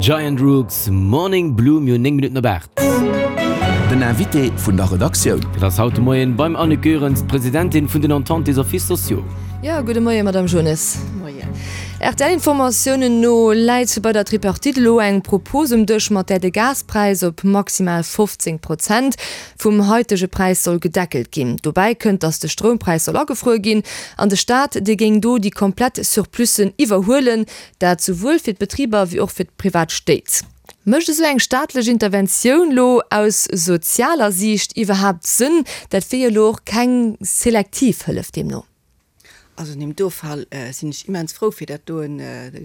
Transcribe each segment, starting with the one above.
Giant Rooks, Morning Blue, mir hunn 9 Minutten op 8. Den Invité vun der Redaktioun. Dat ass haut de Moien beim Annick Goerens, d'Presidentin vun den Entente des Offices sociaux. Jo, gudde Moien, Madame Jones. Moien. RTL-Informatiounen no läit bei der Tripartite elo eng Propos um Dësch, mat där de Gaspräis op maximal 15 Prozent vum haitege Präis soll gedeckelt ginn. Dobäi kënnt, datt de Stroumpräis soll agefruer ginn an de Staat, dee géing do déi komplett Surplussen iwwerhuelen. Dat souwuel fir d'Betriber wéi och fir d'privat Stéit. Mécht esou eng staatlech Interventioun lo aus sozialer Siicht iwwerhaapt Sënn? Dat wier jo lo och keng selektiv Hëllef deemno. Also an deem do Fall sinn ech immens frou fir dat doen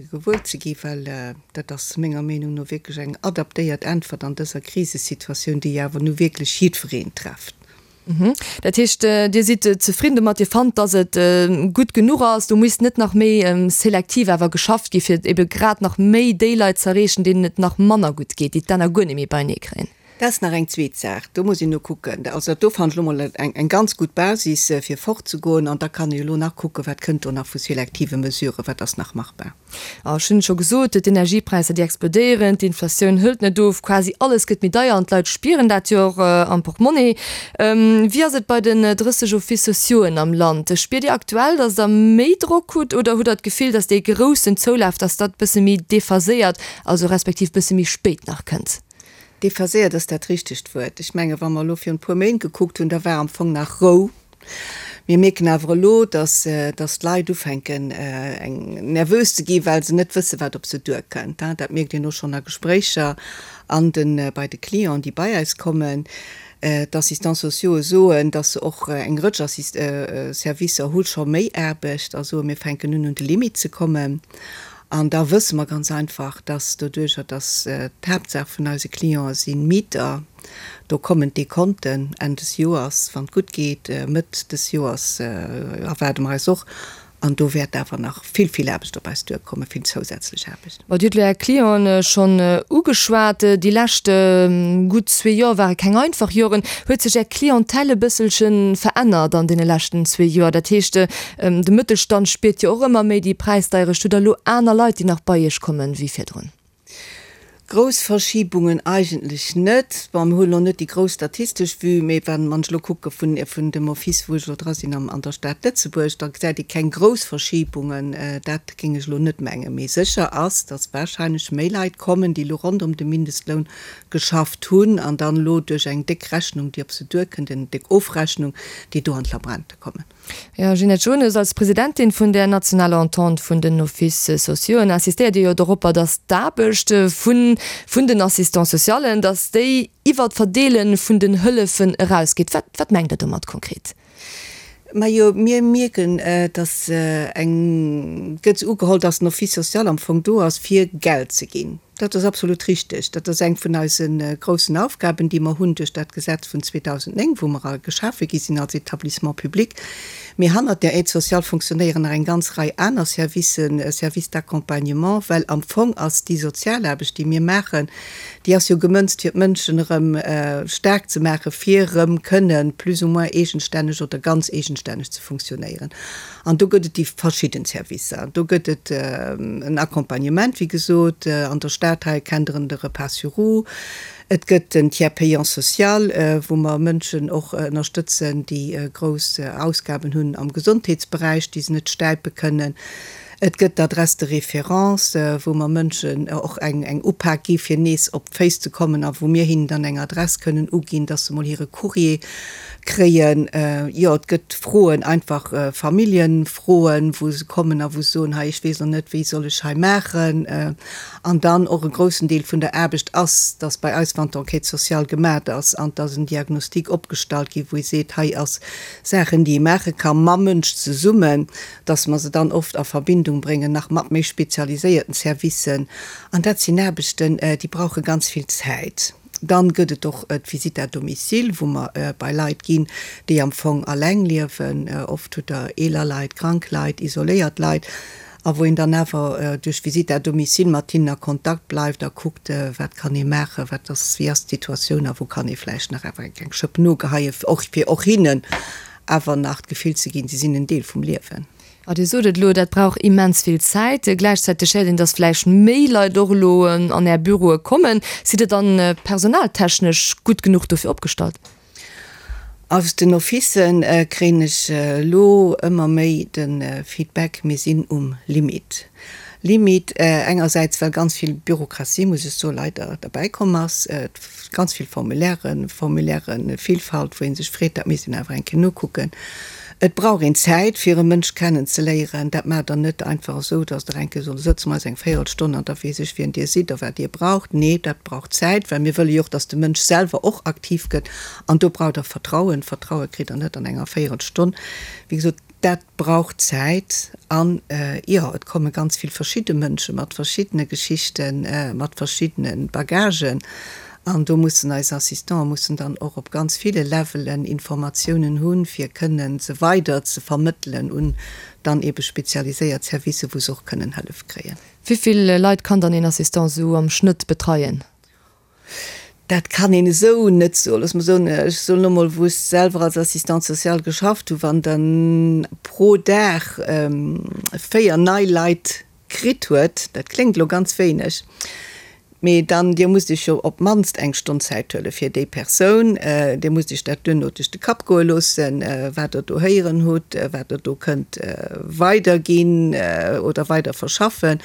gewuer ze gi, well dat ass menger Meenung no wierklech eng adaptéiert Äntwert an dëser Krisesituatioun, déi awer nu wierklech jiddwereen trefft. Dat heescht, Dir sidd zefridden domat, Dir fannt, datt et gutt genuch ass, do misst net nach méi selektiv awer geschafft gi fir ebe grad nach méi déi Leit z'erreechen, deenen et nach manner gutt geet, déi d'Enner guer net méi beienee kréien? Dat ass nach eng zweet Saach, do muss een no kucken. Also dat do fannen ech elo mol eng ganz gutt Basis fir fortzegoen an da kann ee jo elo nach kucken, wat kënnt do nach vu selektive Mesuren, wat ass nach machbar. Ech hunn et scho gesot, d'Energiepräisser déi explodéieren, d'Inflatioun hëlt net of, quasi alles gëtt méi deier an d'Leit spieren dat jo och am Portmonnie. Wéi ass et bei den 30 Offices sociauxen am Land? Spiert Dir aktuell, datt Der méi Drock hutt oder hutt Der d'Gefill, datt dee groussen Zoulaf, datt dat bësse méi dephaséiert, also respektiv bësse méi spéit nach kënnt? Dephaséiert ass dat richtegt Wuert. Ech menge wa mer elo virun e puer Méint gekuckt hunn, da war am Fong nach Rou. Mir mierken awer elo, dass dass d'Leit ufänken eng nervös ze gi well se net wësse wat op se duerkënnt. Dat mierkt een och schonn a Gespréicher an de bei de Clienten déi bei eis kommen. D'Assistants sociaux'e soen, dass se och eng Rëtsch Assist Servicer hu scho méi Aarbecht a soen, mir fänken un un de Limite ze kommen. An da wësse mer ganz einfach, dass doduercher dass d'Haaptsaach vun eise Clientë si Mieter, Do kommen d'Dekonten Enn des Joers, wann et gutt geet. Mëtt des Joers erwaarde mer eis och. An do wäert awer nach vill, vill Aarbecht op eis duerkommen, vill zousätzlech Aarbecht. Bon, Dir hutt elo Är Clienten schonn ugeschwat. Déi lescht gutt zwee Joer ware keng einfach Joren. Huet sech Är Clientèle e bësselche verännert an deene leschten zwee Joer? Dat heescht, de Mëttelstand spiert jo och ëmmer méi déi Präisdeierecht. Hutt Der elo aner Leit, déi nach bei Iech kommen, wéi virdrun? Grouss Verschibungen eigentlech net. Bon, mir hunn elo net déi grouss statistesch Vue, mee wann ech elo kucke vun vun dem Office, wou ech elo dra sinn am an der Stad Lëtzebuerg, da gesäit ee keng grouss Verschibungen. Dat géing ech elo net mengen. Mee sécher ass, datt warscheinlech méi Leit kommen, déi elo ronderëm de Mindestloun geschafft hunn an dann elo duerch eng déck Rechnung, déi op se duerkënnt, eng déck Ofrechnung, déi do an d'Labrente kommen. Jo, Ginette Jones, als Presidentin vun der nationaler Entente vun den Offices sociauxen insistéiert Dir jo doropper, datt d'Aarbecht vun vun den Assistants socialen, datt déi iwwer d'Verdeele vun den Hëllefen erausgeet. Wat wat mengt Der domat konkret? Majo, mir mierken, datt eng gëtt ugeholl, datt den Office social am Fong do ass, fir Geld ze ginn. Dat ass absolut richtig. Dat ass eng vun eise groussen Aufgaben, déi mer hunn duerch dat Gesetz vun 2009, wou mer geschafe gi sinn als Établissement public. Mee hannert der Aide sociale fonctionnéieren nach eng ganz Rei aner Servicen, Services d'accompagnement, well am Fong ass déi Sozialaarbecht, déi mir maachen, déi ass jo gemënzt, fir d'Mënschen erëm staark ze maachen, fir erëm kënnen plus ou moins eegenstänneg oder ganz eegenstänneg ze funktionéieren. An do gëtt et déi verschidden Servicer. Do gëtt et en Accompagnement, wéi gesot, an der Stad hei kennt Der en, de Repas sur roues. Et gëtt den Tiers payant social, wou mer Mënschen och ënnerstëtzen, déi grouss Ausgaben hunn am Gesondheetsberäich, déi se net stäipe kënnen. Et gëtt d'Adresse de référence, wou mer Mënschen och eng Upak gi fir nees op d'Féiss ze kommen a wou mir hinnen dann eng Adress kënnen uginn, dass se mol hire Courrier kréien. Jo, et gëtt Froen, einfach Familljenfroen, wou se kommen a wou se soen, hei ech weess elo net, wéi soll ech hei maachen. An dann och e groussen Deel vun der Aarbecht ass, dass bei eis, wann d'Enquête sociale gemat ass an dass en Diagnostic opgestallt gi wou ee seet, hei ass Saachen, déi ee maache ka mam Mënsch zesummen, dass mer se dann oft a Verbindung bréngen nach mat méi spezialiséierten Servicen. An dat sinn Aarbechten, déi brauche ganz vill Zäit. Dann gëtt et och d'Visite à domicile, wou mer bei Leit ginn, déi am Fong alleng liewen. Oft hutt Der eeler Leit, krank Leit, isoléiert Leit, a wou een dann awer duerch d'Visite à domicile mat hinnen a Kontakt bleift a kuckt, wat kann ee maachen, wat ass, wéi ass d'Situatioun a wou kann ee vläicht nach awer eng Schëpp nogeheien, och fir och hinnen awer nach d'Gefill ze ginn, si sinn en Deel vum Liewen. A Dir sot et elo, dat brauch immens vill Zäit. Gläichzäiteg héiert een, datt vläicht méi Leit och elo an Är Büroe kommen. Sidd Der dann personaltechnesch gutt genuch dofir opgestallt? Aus den Officen kréien ech elo ëmmer méi de Feedback, mir sinn um Limit. Limit engersäits, well ganz vill Bürokratie, muss ech soen, leider derbäi komm ass, ganz vill Formulairen, Formulairenvielfalt, wou ee sech freet, dat misst een awer eng Kéier nokucken. Et brauch een Zäit, fir e Mënsch kennen ze léieren. Dat maacht Der net einfach esou, datt Der eng Kéier sot, sëtze mer eis eng Véierelstonn an da weess ech, wien Dir sidd a wat Dir braucht. Nee, dat brauch Zäit, well mir wëlle jo och, datt de Mënsch selwer och aktiv gëtt. An do braucht Der Vertrauen. Vertraue kritt Der net an enger Véierelstonn. Wéi gesot, dat brauch Zäit. An, jo, et komme ganz vill verschidde Mënsche mat verschiddene Geschichten, mat verschiddene Bagagen. An do mussen eis Assistante mussen dann och op ganz ville Levelen Informatiounen hunn, fir kënnen se weider ze vermëttelen un dann eebe spezialiséiert Servicen, wou se och kënnen Hëllef kréien. Wéi vill Leit kann dann een Assistant esou am Schnëtt betreien? Dat kann een esou net soen. Looss mer soen, ech soen elo mol, wou ech selwer als Assistante sociale geschafft hunn, wann dann pro Dag 4 nei Leit kritt huet, dat kléngt elo ganz wéineg, mee dann, Dir musst Iech jo op d'mannst eng Stonn Zäit huele fir déi Persoun, Dir musst Iech dat duerno duerch de Kapp goe loossen, wat Der do héieren hutt, wat Der do kënnt weiderginn oder weider verschaffen.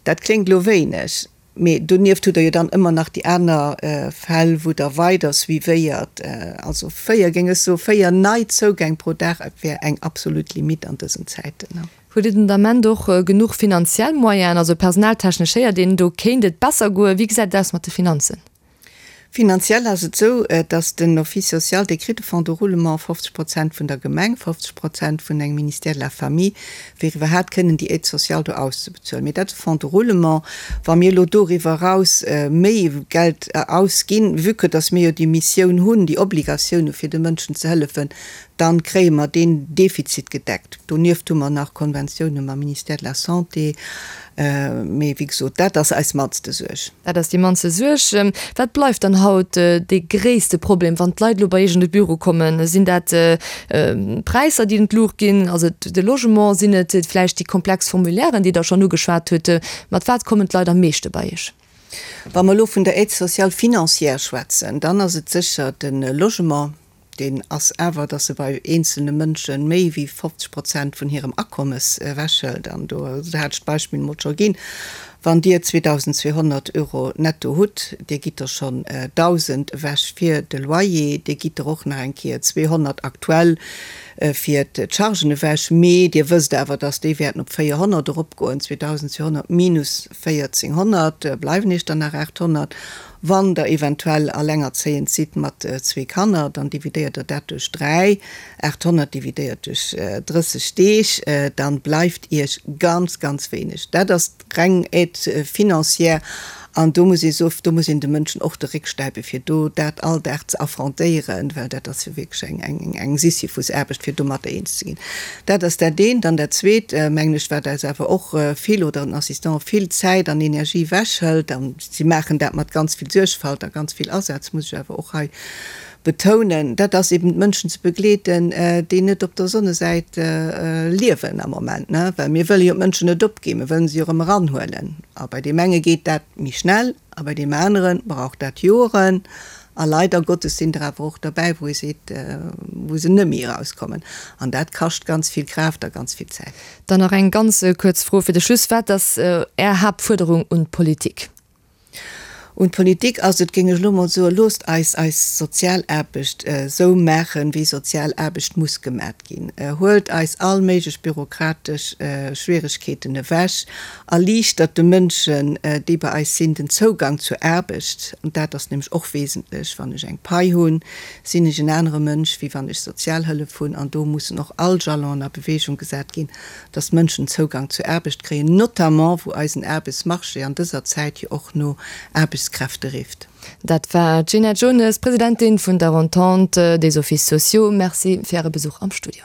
Dat kléngt elo wéineg, mee donieft hutt Der jo dann ëmmer nach déi aner Fäll, wou Der weider suivéiert. Also véier, géing ech soen, véier nei Zougäng pro Dag wär eng absolut Limite an dësen Zäiten. Huet Dir den Ament och genuch finanziell Moyenen? Also personaltechnesch héiert een, do kéint et besser goen. Wéi gesäit et aus mat de Finanzen? Finanziell ass et esou, datt den Office social, dee kritt e Fonds de roulement, 50 Prozent vun der Gemeng, 50 Prozent vun engem Ministère de la Famille, fir iwwerhaapt kënnen déi Aide sociale do auszebezuelen. Mee dat ass e Fonds de roulement. Wa mir elo doriwwer eraus méi Geld ausginn, vue que datt mir jo déi Missioun hunn, déi Obligatioun hu fir de Mënschen ze hëllefen, Dann kréie mer deen Defizit gedeckt. Donieft hu mer nach Konventioune mam Ministère de la Santé. Mee wéi gesot, dat ass eis mannste Suerg. Dat ass déi mannste Suerg. Wat bleift dann haut dee gréisste Problem, wann d'Leit elo bei Iech an de Büro kommen? Sinn dat d'Präisser, déi an d'Luucht ginn? Ass et de Logement? Sinn et vläicht déi komplex Formulairen, déi Der schonn ugeschwat hutt? Mat wat kommen d'Leit am meeschte bei Iech? Wa mer elo vun der Aide sociale financière schwätzen, dann ass et sécher de Logement. Deen ass awer, dass e bei eenzelne Mënsche méi wéi 50 Prozent vun hirem Akommes ewechhëlt. An do hat ech d'Beispill emol scho ginn, Wann Dir 2.200 Euro netto hutt, Dir gitt der schonn 1.000 ewech fir de Loyer, Dir gitt der och nach eng Kéier 200 aktuell fir d'Chargen ewech, mee Dir wësst awer, dass déi wäerten op 400 eropgoen, 2.200 minus 1.400, bleiwen Iech dann nach 800. Wann der eventuell allengerzéiend sidd mat zwee Kanner, dann dividéiert der dat duerch 3, 800 dividéiert duerch 30 Deeg, dann bleift iech ganz, ganz wéineg. Dat ass reng Aide financière an do muss ee soen, do muss een de Mënschen och de Réck stäipen, fir do dat all Dag ze affrontéieren, well dat ass jo wierklech eng, eng Sisyphusaarbecht, fir domatter eens ze ginn. Dat ass dat eent. An dat Zweet, mengen ech, wat eis awer och vill, oder den Assistant vill Zäit an Energie ewechhëlt, an si maachen dat mat ganz vill Suergfalt a ganz vill Asaz, muss ech awer och hei betounen, dat ass eben d'Mënschen ze begleeten, déi net op der Sonnesäit liewen am Moment, well mir wëlle jo d'Mënschen net opginn, mir wëllen se jo erëm eranhuelen. A bei deem enge geet dat méi schnell a bei deem anere brauch dat Joren. A leider Gottes sinn der awer och derbäi, wou ee seet, wou se net méi erauskommen. An dat kascht ganz vill Kraaft a ganz vill Zäit. Dann nach eng ganz kuerz Fro fir de Schluss, Wat ass Är Haaptfuerderung un d'Politik? Un d'Politik ass et, géing ech elo mol soen, Loosst eis eis Sozialaarbecht esou maachen, wéi Sozialaarbecht muss gemat ginn. Huelt eis all méiglech bürokratesch Schwieregkeeten ewech. Erliichtert de Mënschen, déi bei eis sinn, den Zougang zur Aarbecht. An dat ass nämlech och wesentlech. Wann ech eng Pai hunn, sinn ech en anere Mënsch, wéi wann ech Sozialhëllef hunn. An do mussen och all Jalonen a Bewegung gesat ginn, dass d'Mënschen Zougang zur Aarbecht kréien, notamment wou eisen Aarbechtsmarché an dëser Zäit jo och no Aarbechtskräfte rifft. Dat war d'Gina Jones, Presidentin vun der Entente des Offices sociaux. Merci fir Äre Besuch am Studio.